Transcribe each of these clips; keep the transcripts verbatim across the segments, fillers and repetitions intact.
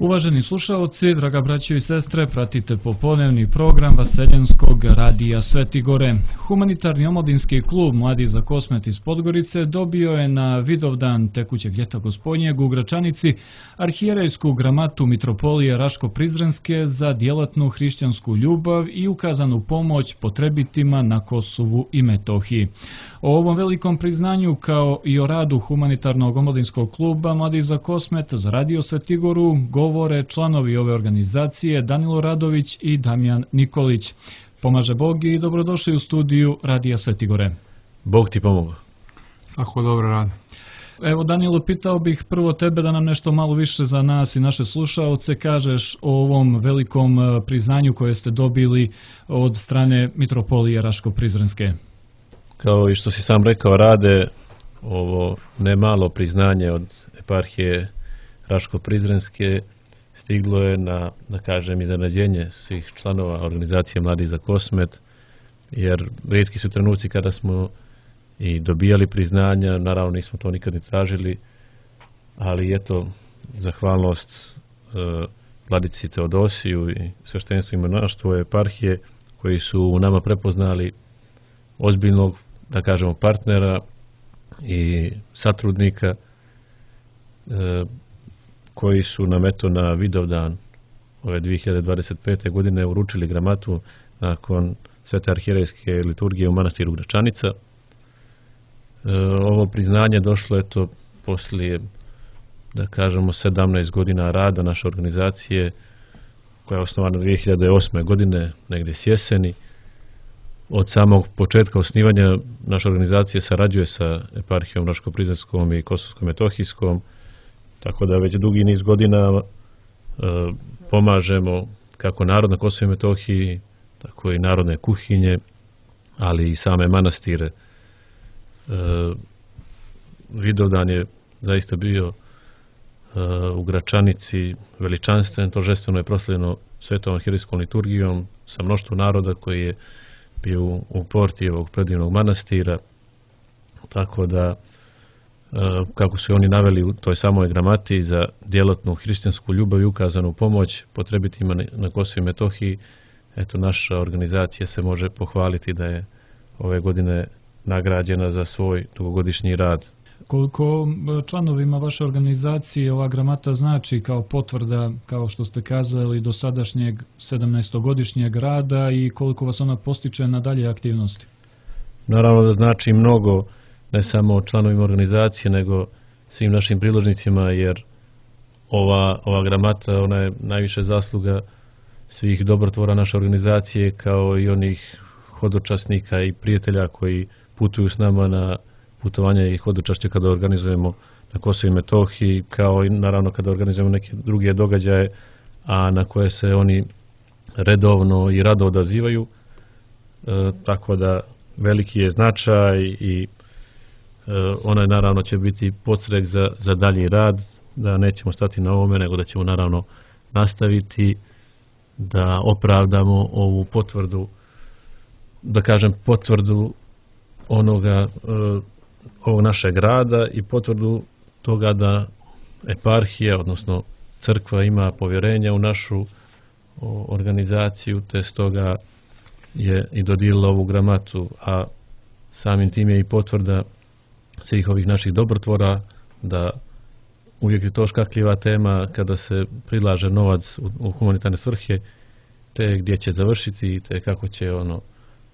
Uvaženi slušaoci, draga braćo i sestre, pratite popodnevni program Vaseljenskog radija Sveti Gore. Humanitarni omladinski klub Mladi za Kosmet iz Podgorice dobio je na Vidovdan tekućeg ljeta Gospodnjeg u Gračanici arhijerejsku gramatu Mitropolije Raško-Prizrenske za djelatnu hrišćansku ljubav i ukazanu pomoć potrebitima na Kosovu i Metohiji. O ovom velikom priznanju kao i o radu humanitarnog omladinskog kluba Mladi za Kosmet za radio Sveti Goru govore članovi ove organizacije Danilo Radović i Damjan Nikolić. Pomaže Bog i dobrodošli u studiju radija Sveti Gore. Bog ti pomogu. Ako dobro radi. Evo Danilo, pitao bih prvo tebe da nam nešto malo više za nas i naše slušaoce kažeš o ovom velikom priznanju koje ste dobili od strane Mitropolije Raško-Prizrenske. Kao i što si sam rekao, rade ovo nemalo priznanje od eparhije Raško-Prizrenske stiglo je na, da kažem, iznenađenje svih članova organizacije Mladi za Kosmet, jer rijetki su trenuci kada smo i dobijali priznanja, naravno nismo to nikad ni tražili, ali eto, zahvalnost e, Vladici Teodosiju i sveštenstvu i monaštvu eparhije koji su u nama prepoznali ozbiljnog, da kažemo, partnera i satrudnika e, koji su nam eto na Vidovdan ove dvije hiljade dvadeset pete. godine uručili gramatu nakon svete arhijerejske liturgije u manastiru Gračanica. E, ovo priznanje došlo eto poslije, da kažemo, sedamnaest godina rada naše organizacije koja je osnovana dvije hiljade osme. godine, negdje s jeseni. Od samog početka osnivanja naša organizacija sarađuje sa eparhijom Raško-Prizrenskom i Kosovsko-Metohijskom, tako da već dugi niz godina e, pomažemo kako narod na Kosovu i Metohiji, tako i narodne kuhinje, ali i same manastire. E, Vidovdan je zaista bio e, u Gračanici veličanstven, торжествено je proslavljeno svetom arhijerejskom liturgijom sa mnoštvo naroda koji je bio u porti ovog predivnog manastira, tako da kako su oni naveli u toj samoj gramati za djelatnu hrišćansku ljubav i ukazanu pomoć potrebitima na Kosovu i Metohiji, eto naša organizacija se može pohvaliti da je ove godine nagrađena za svoj dugogodišnji rad. Koliko članovima vaše organizacije ova gramata znači kao potvrda, kao što ste kazali, do sadašnjeg sedamnaestogodišnjeg rada i koliko vas ona postiče na dalje aktivnosti? Naravno da znači mnogo, ne samo članovima organizacije, nego svim našim priložnicima, jer ova, ova gramata, ona je najviše zasluga svih dobrotvora naše organizacije, kao i onih hodočasnika i prijatelja koji putuju s nama na putovanje i hodočašće kada organizujemo na Kosovu i Metohiji, kao i naravno kada organizujemo neke druge događaje, a na koje se oni redovno i rado odazivaju, e, tako da veliki je značaj i e, ona naravno će biti podstrek za, za dalji rad, da nećemo stati na ovome, nego da ćemo naravno nastaviti da opravdamo ovu potvrdu, da kažem potvrdu onoga e, ovog našeg rada i potvrdu toga da eparhija, odnosno crkva, ima povjerenja u našu organizaciju, te stoga je i dodijelila ovu gramatu, a samim tim je i potvrda svih ovih naših dobrotvora da uvijek je to škakljiva tema kada se prilaže novac u, u humanitarne svrhe, te gdje će završiti, te kako će ono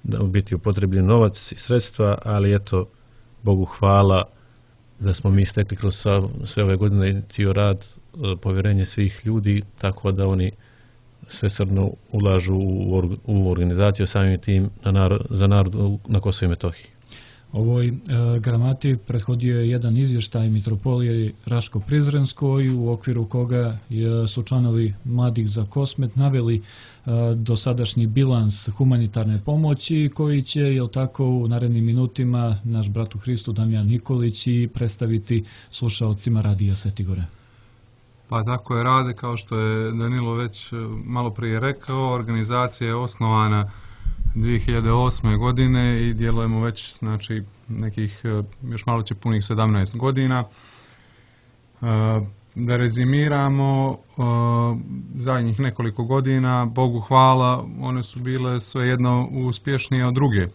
biti upotrebljen novac i sredstva, ali eto, Bogu hvala da smo mi stekli kroz sve ove godine cijel rad povjerenje svih ljudi, tako da oni svesrdno ulažu u, u organizaciju, samim tim na narod, za narod na Kosovu i Metohiji. Ovoj e, gramati prethodio je jedan izvještaj Mitropolije Raško-Prizrenskoj, u okviru koga je, su članovi Mladih za Kosmet naveli e, dosadašnji bilans humanitarne pomoći, koji će, jel tako, u narednim minutima naš brat u Hristu Damjan Nikolić i predstaviti slušaocima radija Sveti Gore. Pa tako je rade, kao što je Danilo već malo prije rekao, organizacija je osnovana dvije hiljade osme. godine i djelujemo već, znači, nekih, još malo će punih sedamnaest godina. da rezimiramo, zadnjih nekoliko godina, Bogu hvala, one su bile svejedno uspješnije od druge.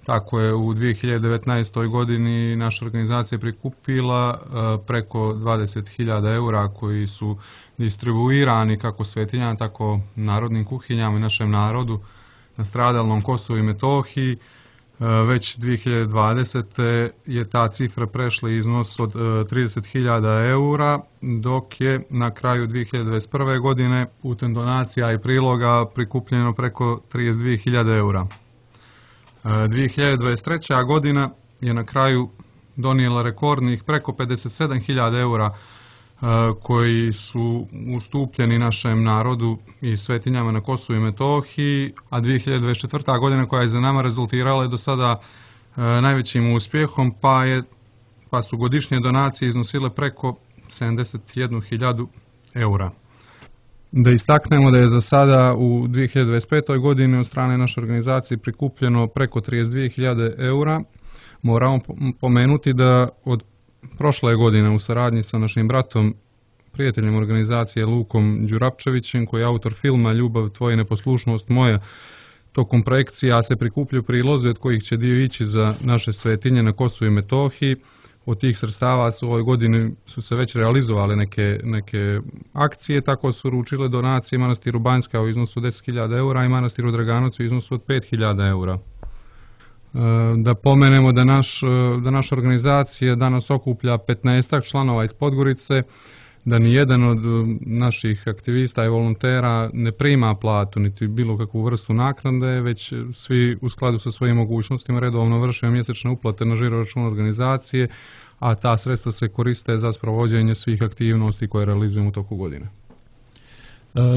Tako je u dvije hiljade devetnaestoj. godini naša organizacija prikupila preko dvadeset hiljada eura koji su distribuirani kako svetinjama, tako narodnim kuhinjama i našem narodu na stradalnom Kosovu i Metohiji. Već dvije hiljade dvadesete. je ta cifra prešla iznos od trideset hiljada eura, dok je na kraju dvije hiljade dvadeset prve. godine putem donacija i priloga prikupljeno preko trideset dvije hiljade eura. dvije hiljade dvadeset treća. godina je na kraju donijela rekordnih preko pedeset sedam hiljada eura koji su ustupljeni našem narodu i svetinjama na Kosovu i Metohiji, a dvije hiljade dvadeset četvrta. godina koja je za nama rezultirala je do sada najvećim uspjehom, pa, je, pa su godišnje donacije iznosile preko sedamdeset jednu hiljadu eura. Da istaknemo da je za sada u dvije hiljade dvadeset petoj. godini od strane naše organizacije prikupljeno preko trideset dvije hiljade eura. Moramo pomenuti da od prošle godine u saradnji sa našim bratom, prijateljem organizacije Lukom Đurapčevićem, koji je autor filma Ljubav tvoja i neposlušnost moja, tokom projekcija se prikupljaju prilozi od kojih će dio ići za naše svetinje na Kosovu i Metohiji. Od tih sredstava su u ovoj godini su se već realizovale neke, neke akcije, tako su uručile donacije manastiru Banjska u iznosu od deset hiljada eura i manastiru Draganovac u iznosu od pet hiljada eura. Da pomenemo da, naš, da naša organizacija danas okuplja petnaestak članova iz Podgorice, da ni jedan od naših aktivista i volontera ne prima platu niti bilo kakvu vrstu naknade, već svi u skladu sa svojim mogućnostima redovno vrše mjesečne uplate na žiro račun organizacije, a ta sredstva se koriste za sprovođenje svih aktivnosti koje realizujemo u toku godine.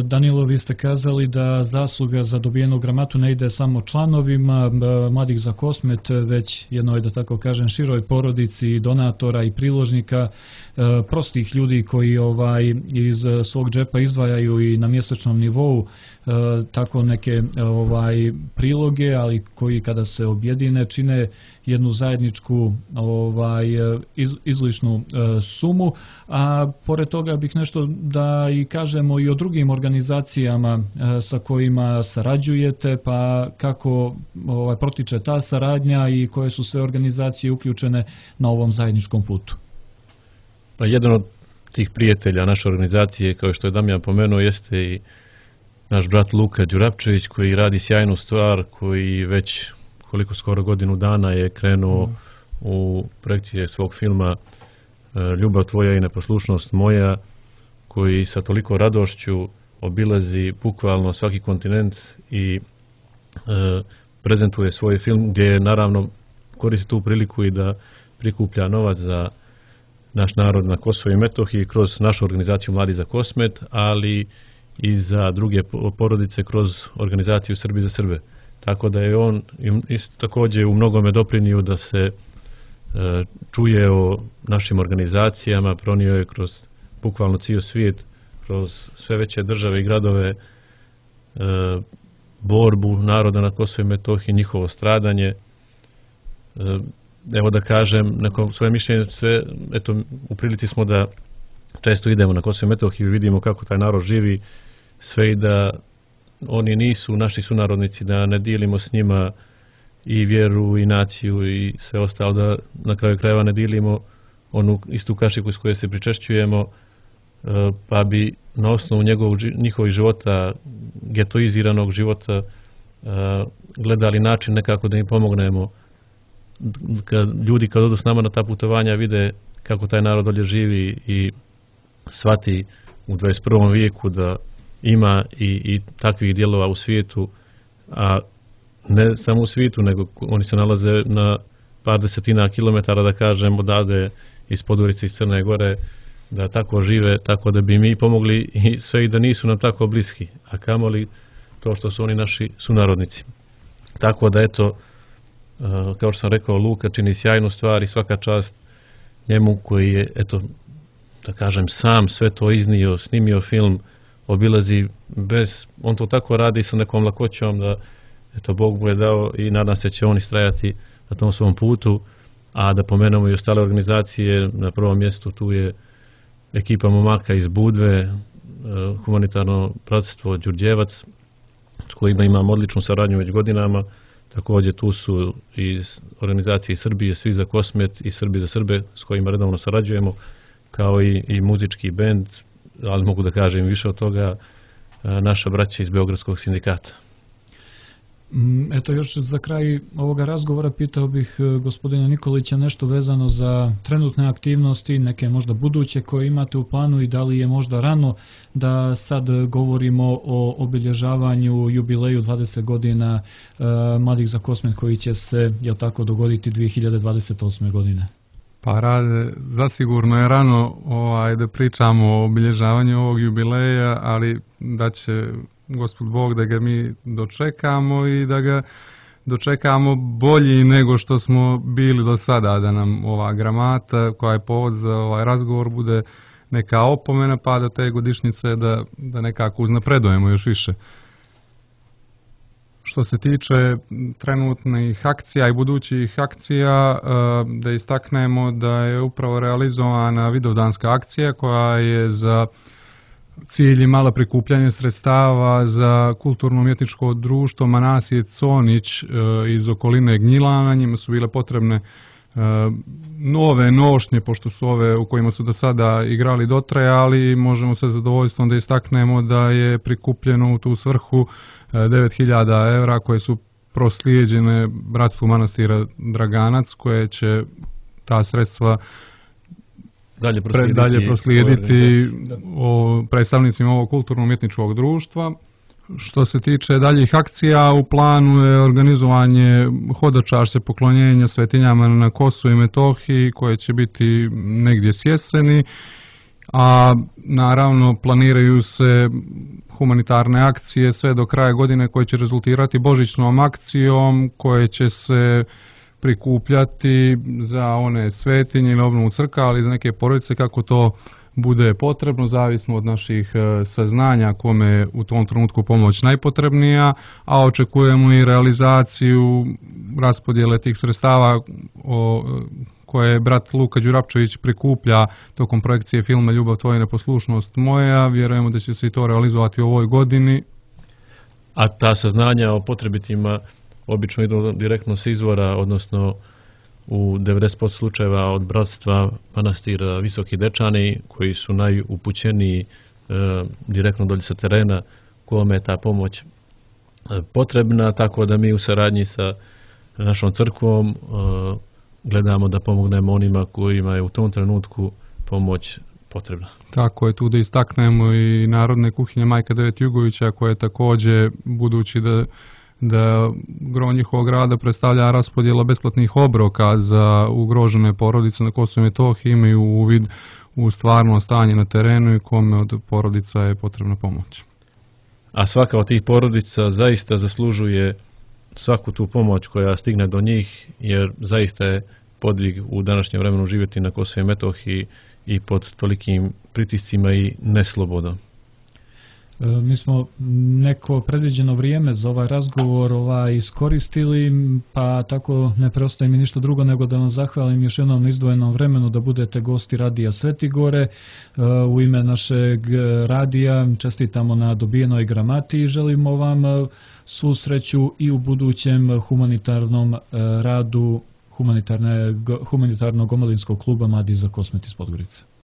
Danilo, vi ste kazali da zasluga za dobijenu gramatu ne ide samo članovima Mladih za Kosmet, već jednoj, da tako kažem, široj porodici donatora i priložnika, prostih ljudi koji ovaj iz svog džepa izdvajaju i na mjesečnom nivou tako neke ovaj priloge, ali koji kada se objedine čine jednu zajedničku ovaj iz, izlišnu sumu. A pored toga bih nešto da i kažemo i o drugim organizacijama sa kojima sarađujete, pa kako ovaj protiče ta saradnja i koje su sve organizacije uključene na ovom zajedničkom putu. Pa jedan od tih prijatelja naše organizacije, kao što je Damjan pomenuo, jeste i naš brat Luka Đurapčević, koji radi sjajnu stvar, koji već koliko skoro godinu dana je krenuo mm. u projekcije svog filma Ljubav tvoja i neposlušnost moja, koji sa toliko radošću obilazi bukvalno svaki kontinent i e, prezentuje svoj film, gdje naravno koristi tu priliku i da prikuplja novac za naš narod na Kosovu i Metohiji kroz našu organizaciju Mladi za Kosmet, ali i za druge porodice kroz organizaciju Srbi za Srbe. Tako da je on isto također u mnogome doprinio da se e, čuje o našim organizacijama, pronio je kroz bukvalno cijel svijet, kroz sve veće države i gradove e, borbu naroda na Kosovu i Metohiji, njihovo stradanje. E, evo da kažem, neko svoje mišljenje, sve, eto, u prilici smo da često idemo na Kosovo i Metohiju i vidimo kako taj narod živi, sve i da oni nisu naši sunarodnici, da ne dijelimo s njima i vjeru i naciju i sve ostalo, da na kraju krajeva ne dijelimo onu istu kašiku s koje se pričešćujemo, pa bi na osnovu njegovog, njihovih života, getoiziranog života, gledali način nekako da im pomognemo. Kad ljudi kad odu s nama na ta putovanja vide kako taj narod dolje živi i shvati u dvadeset prvom vijeku da ima i, i takvih dijelova u svijetu, a ne samo u svijetu, nego oni se nalaze na par desetina kilometara, da kažem, odavde iz Podgorice, iz Crne Gore, da tako žive, tako da bi mi pomogli i sve i da nisu nam tako bliski, a kamoli to što su oni naši sunarodnici. Tako da eto, kao što sam rekao, Luka čini sjajnu stvar i svaka čast njemu koji je, eto, da kažem, sam sve to iznio, snimio film, obilazi bez, on to tako radi sa nekom lakoćom da, eto, Bog mu je dao i nadam se će on istrajati na tom svom putu, a da pomenemo i ostale organizacije, na prvom mjestu tu je ekipa momaka iz Budve, humanitarno bratstvo Đurđevac, s kojima imamo odličnu saradnju već godinama. Također tu su iz organizacije Srbije, Svi za Kosmet i Srbi za Srbe, s kojima redovno sarađujemo, kao i, i muzički bend, ali mogu da kažem više od toga, naša braća iz Beogradskog sindikata. Eto, još za kraj ovoga razgovora pitao bih gospodina Nikolića nešto vezano za trenutne aktivnosti, neke možda buduće koje imate u planu i da li je možda rano da sad govorimo o obilježavanju jubileju dvadeset godina uh, Mladih za Kosmet koji će se, jel tako, dogoditi dvije hiljade dvadeset osme. godine. Pa Rade, zasigurno je rano ovaj, da pričamo o obilježavanju ovog jubileja, ali da će Gospod Bog da ga mi dočekamo i da ga dočekamo bolji nego što smo bili do sada, da nam ova gramata koja je povod za ovaj razgovor bude neka opomena, pa do te godišnjice da, da nekako uznapredujemo još više. Što se tiče trenutnih akcija i budućih akcija, da istaknemo da je upravo realizovana vidovdanska akcija koja je za cilj imala prikupljanje sredstava za kulturno-umjetničko društvo Manasije Conić iz okoline Gnjilana. Njima su bile potrebne nove nošnje, pošto su ove u kojima su do sada igrali dotrajali. Možemo sa zadovoljstvom da istaknemo da je prikupljeno u tu svrhu devet hiljada evra koje su proslijeđene bratstvu manastira Draganac, koje će ta sredstva dalje proslijediti, dalje proslijediti o predstavnicima ovog kulturno-umjetničkog društva. Što se tiče daljih akcija, u planu je organizovanje hodočašće poklonjenja svetinjama na Kosovu i Metohiji koje će biti negdje s jeseni, a naravno planiraju se humanitarne akcije sve do kraja godine koje će rezultirati božićnom akcijom koje će se prikupljati za one svetinje ili obnovu crkva, ali za neke porodice kako to bude potrebno, zavisno od naših saznanja kome je u tom trenutku pomoć najpotrebnija, a očekujemo i realizaciju raspodjele tih sredstava o, koje brat Luka Đurapčević prikuplja tokom projekcije filma Ljubav tvoja i neposlušnost moja. Vjerujemo da će se i to realizovati u ovoj godini. A ta saznanja o potrebitima obično idu direktno s izvora, odnosno u devedeset posto slučajeva od bratstva manastira Visoki Dečani, koji su najupućeniji e, direktno dolje sa terena kome je ta pomoć e, potrebna, tako da mi u saradnji sa našom crkvom e, gledamo da pomognemo onima kojima je u tom trenutku pomoć potrebna. Tako je, tu da istaknemo i Narodne kuhinje Majka Devet Jugovića, koje također, budući da da gro njihovog rada predstavlja raspodjela besplatnih obroka za ugrožene porodice na Kosovu i Metohiji, imaju uvid u stvarno stanje na terenu i kome od porodica je potrebna pomoć. A svaka od tih porodica zaista zaslužuje svaku tu pomoć koja stigne do njih, jer zaista je podvig u današnjem vremenu živjeti na Kosovu i Metohiji i pod tolikim pritiscima i neslobodom. Mi smo neko predviđeno vrijeme za ovaj razgovor ovaj iskoristili, pa tako ne preostaje mi ništa drugo nego da vam zahvalim još jednom izdvojenom vremenu da budete gosti Radija Sveti Gore. U ime našeg radija čestitamo na dobijenoj gramati i želimo vam svu sreću i u budućem humanitarnom radu humanitarnog omladinskog kluba Mladi za Kosmet iz Podgorice.